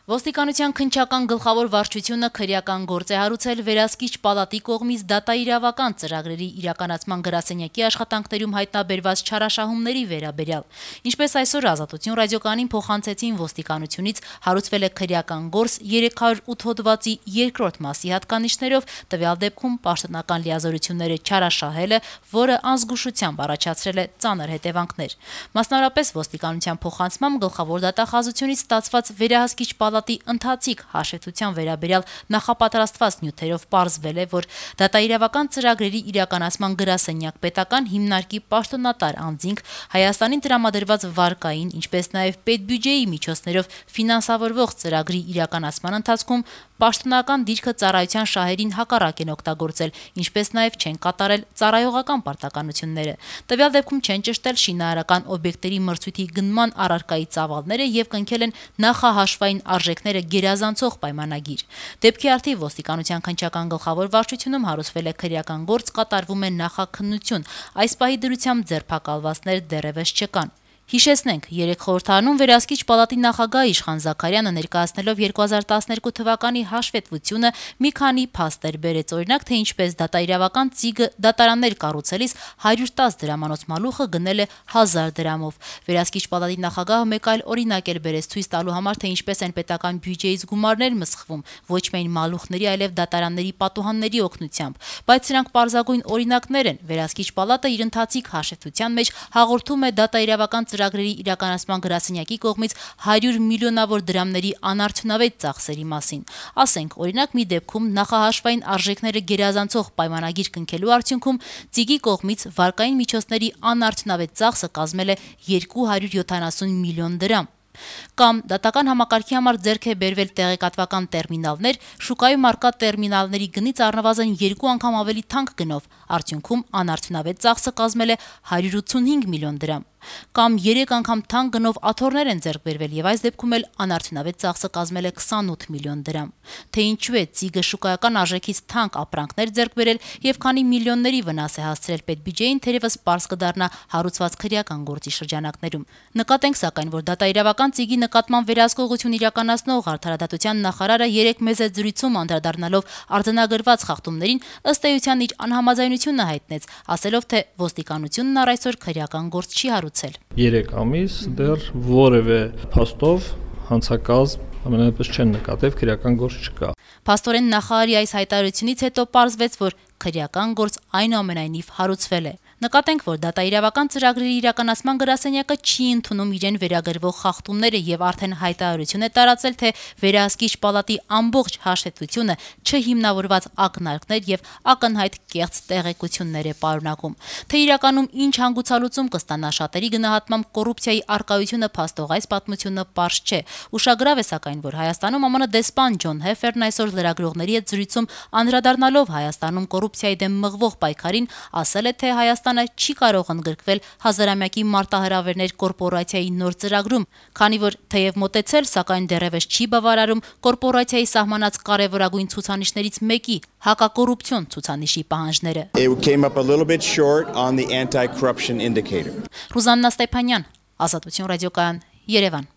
Ոստիկանության քննչական գլխավոր վարչությունը քրեական գործ է հարուցել վերահսկիչ պալատի կողմից դատաիրավական ծրագրերի իրականացման գրասենյակի աշխատանքներում հայտնաբերված չարաշահումների վերաբերյալ։ Ինչպես այսօր Ազատություն ռադիոկայանին փոխանցեցին ոստիկանությունից, հարուցվել է քրեական գործ 308 հոդվածի 2-րդ մասի հատկանիշներով, տվյալ դեպքում պաշտոնական լիազորությունները չարաշահելը, որը անզգուշությամբ առաջացրել է ծանր հետևանքներ։ Մասնավորապես ոստիկանության փոխանցմամբ գլխավոր դատախազությունից ստացված վերահսկիչ պալատի ընթացիկ հաշվետվության վերաբերյալ նախապատրաստված նյութերով պարզվել է, որ դատաիրավական ծրագրերի իրականացման գրասենյակ պետական հիմնարկի պաշտոնատար անձինք Հայաստանին տրամադրված վարկային, ինչպես նաև պետբյուջեի միջոցներով ֆինանսավորվող ծրագրի իրականացման ընթացքում պաշտոնական դիրքը ծառայության շահերին հակառակ են օգտագործել, ինչպես նաև չեն կատարել ծառայողական պարտականությունները։ Տվյալ դեպքում չեն ճշտել շինարարական օբյեկտերի մրցույթի գնման առարկայի ծավալները եւ կնքել են նախահաշվային արժեքները գերազանցող պայմանագիր։ Դեպքի արդիվ ոստիկանության քննչական գլխավոր վարչությունում հարուցվել է քրեական գործ, կատարվում է նախաքննություն։ Այս պահի դրությամբ ձերբակալվածներ դեռևս չկան։ Հիշեցնենք, 3 խորհրդարանում վերահսկիչ պալատի նախագահ Իշխան Զաքարյանը ներկայացնելով 2012 թվականի հաշվետվությունը մի քանի փաստեր բերեց, օրինակ, թե ինչպես դատաիրավական ծիգը դատարաններ կառուցելիս 110 դրամանոց մալուխը գնել է 1000 դրամով։ Վերահսկիչ պալատի նախագահը մեկ այլ օրինակ էլ բերեց ցույց տալու համար, թե ինչպես են պետական բյուջեից գումարներ մսխվում, ոչ միայն մալուխների, այլև դատարանների պատուհանների օգնությամբ։ Բայց սրանք պարզագույն օրինակներ են։ Վերահսկիչ պալատը իր ընթացիկ հաշվետվության մեջ հաղորդում է դատաիրավական ծրագրերի իրականացման գրասենյակի կողմից 100 միլիոնավոր դրամների անարդյունավետ ծախսերի մասին։ Ասենք, օրինակ, մի դեպքում նախահաշվային արժեքները գերազանցող պայմանագիր կնքելու արդյունքում ծիգի կողմից վարկային միջոցների անարդյունավետ ծախսը կազմել է 270 միլիոն դրամ։ Կամ դատական համակարգի համար ձեռք է բերվել տեղեկատվական տերմինալներ, շուկայում առկա տերմինալների գնից առնվազն 2 անգամ ավելի թանկ գնով, արդյունքում անարդյունավետ ծախսը կազմել է 185 միլիոն դրամ։ Կամ 3 անգամ թանկ գնով աթոռներ են ձեռք բերվել եւ այս դեպքում էլ անարդյունավետ ծախսը կազմել է 28 միլիոն դրամ։ Թե ինչու է ծիգը շուկայական արժեքից թանկ ապրանքներ ձեռք բերել եւ քանի միլիոնների վնաս է հասցրել պետբյուջեին, թերևս պարզ կդառնա հարուցված քրեական գործի շրջանակներում։ Նկատենք սակայն, որ դատաիրավական ծիգի նկատմամբ վերահսկողություն իրականացնող արդարադատության նախարարը 3 մեծ զրույցում անդրադառնալով արձանագրված խախտումներին ըստ էության իր անհամաձայնությունը հայտնեց, ասելով, թե ոստիկանությունն առ այսօր քրեական գործ չի հարուցել։ 3 ամիս դեռ որևէ փաստով հանցակազմ ամենապես չեն նկատել, քրեական գործ չկա։ Փաստորեն նախարարի այս հայտարարությունից հետո պարզվեց, որ քրեական գործ այնուամենայնիվ հարուցվել է։ Նկատենք, որ դատաիրավական ծրագրերի իրականացման գրասենյակը չի ընդունում իրեն վերագրվող խախտումները եւ արդեն հայտարարություն է տարածել, թե վերահսկիչ պալատի ամբողջ հաշվետվությունը չհիմնավորված ակնարկներ եւ ակնհայտ կեղծ տեղեկություններ է պարունակում։ Թե իրականում ինչ հանգուցալուծում կստանա շատերի գնահատմամբ կոռուպցիայի արկայությունը փաստող այս պատմությունը պարզ չէ։ Ուշագրավ է սակայն, որ Հայաստանում ԱՄՆ դեսպան Ջոն Հեֆերն այսօր լրագրողների հետ զրույցում անդրադառնալով Հայաստանում կոռուպցիայի դեմ մղվող պայքարին ասել է, թե Հայաստանը չի կարող ընդգրկվել հազարամյակի մարտահրավերներ կորպորացիայի նոր ծրագրում, քանի որ թեև մոտեցել, սակայն դեռևս չի բավարարում կորպորացիայի սահմանած կարևորագույն ցուցանիշներից մեկի՝ հակակոռուպցիոն ցուցանիշի պահանջները։ Ռուզաննա Ստեփանյան, Ազատություն ռադիոկայան, Երևան։